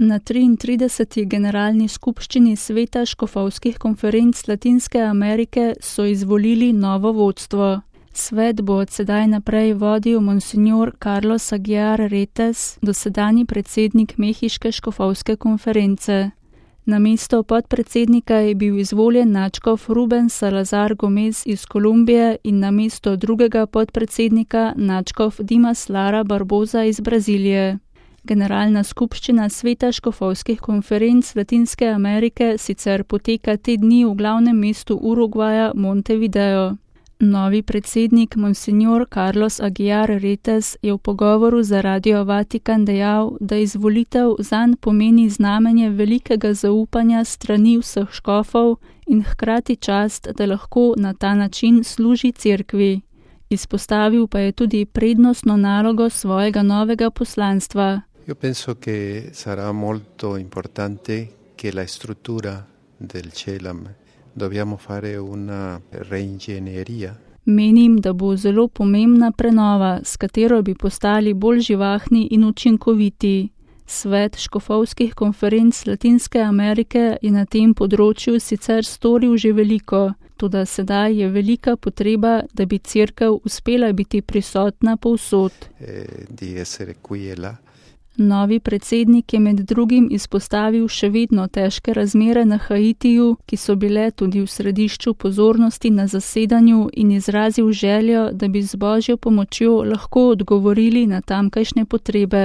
Na 33. generalni skupščini Sveta škofovskih konferenc Latinske Amerike so izvolili novo vodstvo. Svet bo od sedaj naprej vodil monsignor Carlos Aguiar Retes, dosedanji predsednik Mehiške škofovske konference. Na mesto podpredsednika je bil izvoljen nadškof Ruben Salazar Gomez iz Kolumbije in na mesto drugega podpredsednika nadškof Dimas Lara Barboza iz Brazilije. Generalna skupščina Sveta škofovskih konferenc Latinske Amerike sicer poteka te dni v glavnem mestu Urugvaja Montevideo. Novi predsednik monsignor Carlos Aguiar Retes je v pogovoru za Radio Vatikan dejal, da izvolitev zanj pomeni znamenje velikega zaupanja strani vseh škofov in hkrati čast, da lahko na ta način služi cerkvi. Izpostavil pa je tudi prednostno nalogo svojega novega poslanstva. Io penso che sarà molto importante che la struttura del CELAM dobbiamo fare una reingegneria. Menim, da bo zelo pomembna prenova, s katero bi postali bolj živahni in učinkoviti. Svet škofovskih konferenc Latinske Amerike je na tem področju sicer storil že veliko, toda sedaj je velika potreba, da bi cerkev uspela biti prisotna povsod. Novi predsednik je med drugim izpostavil še vedno težke razmere na Haitiju, ki so bile tudi v središču pozornosti na zasedanju in izrazil željo, da bi z Božjo pomočjo lahko odgovorili na tamkajšnje potrebe.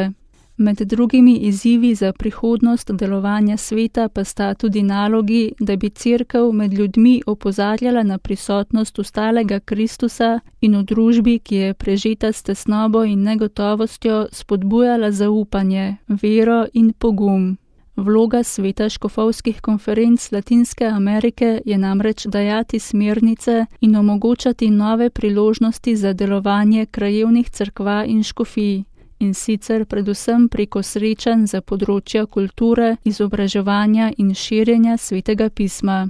Med drugimi izzivi za prihodnost delovanja sveta pa sta tudi nalogi, da bi cerkev med ljudmi opozarjala na prisotnost ostalega Kristusa in v družbi, ki je prežeta s tesnobo in negotovostjo, spodbujala zaupanje, vero in pogum. Vloga Sveta škofovskih konferenc Latinske Amerike je namreč dajati smernice in omogočati nove priložnosti za delovanje krajevnih cerkva in škofij. In sicer predvsem preko srečanj za področja kulture, izobraževanja in širjenja Svetega pisma.